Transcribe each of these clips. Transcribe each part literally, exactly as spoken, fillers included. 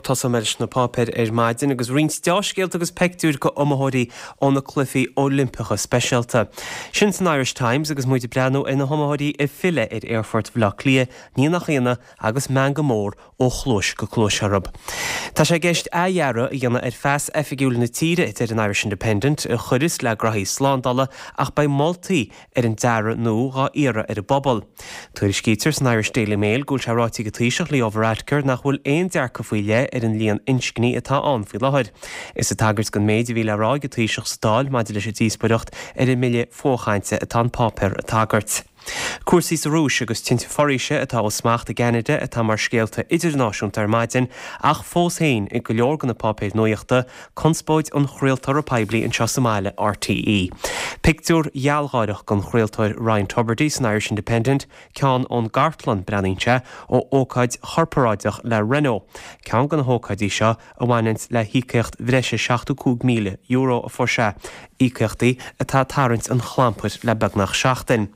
Tosóidh mé leis na páipéir ar maidin agus roinnt deá-scéalta agus peictiúir go iomaitheoirí ó na Cluichí Oilimpeacha Speisialta. Sin san Irish Times agus muid ag breathnú ar na hiomaitheoirí ag filleadh ar Aerfort Bhaile Átha Cliath, ní nach ionadh agus meangadh mór ó chluais go cluais orthu. Tá sé i gceist athdhearadh a dhéanamh ar phas oifigiúil na tíre, a deir an Irish Independent, a chuireas le graithí slándála ach beidh moltaí ar an dearadh nua dhá iarraidh ar an bpobal. Tuairiscítear san Irish Daily Mail go bhfuil sé ráite ag an Taoiseach Leo Varadkar nach bhfuil aon dearcadh faoi leith ar an líon inscní atá ann faoi láthair. Is ag tagairt don méid a bhí le rá ag an Taoiseach sa Dáil maidir leis an díospóireacht ar an mbille fuathchainte atá an páipéar ag tagairt. Cúrsaí sa Rúis agus tinte foraoise atá ó smacht i gCeanada atá mar scéalta idirnáisiúnta ar maidin ach fós féin i go leor de na páipéir nuachta conspóid an chraoltóra poiblí anseo sa mbaile RTÉ. Pictiúr gealgháireach den chraoltóir Ryan Tubridy san Irish Independent, ceann ón gcartlann breathnaíonn sé ó ócáid chorparáideach le Renault. Ceann de na hócáidí seo a bhaineann le híocaíocht bhreise seachtó cúig míle euro a fuair sé, íocaíochtaí atá ag tarraingt an chlampair le beagnach seachtain.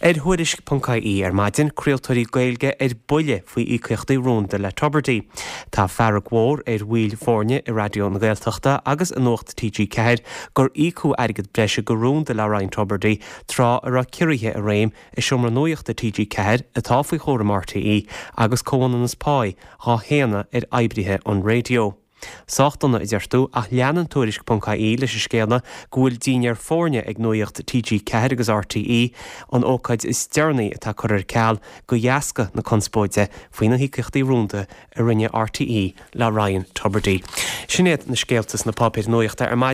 Ar Thuairisc.ie ar maidin, craoltóirí Gaeilge ar buile faoi íocaíochtaí rúnda le Tubridy. Tá fearg mhór ar bhaill foirne i Raidió na Gaeltachta agus i Nuacht TG Ceathair gur íocadh airgead breise go rúnda le Ryan Tubridy tráth a raibh ciorruithe i réim i seomra nuachta TG Ceathair atá faoi chúram RTÉ agus comhionannas páí dhá shéanadh ar oibrithe an raidió. Sách dona a deir tú ach leanann Tuairisc.ie leis an scéala go bhfuil dinnéar foirne ag Nuacht TG Ceathair agus RTÉ an ócáid is deireanaí atá curtha ar ceal de dheasca na conspóide faoi na híocaíochtaí rúnda a rinne RTÉ le Ryan Tubridy. Sin iad na scéalta sna páipéir nuachta ar maidin.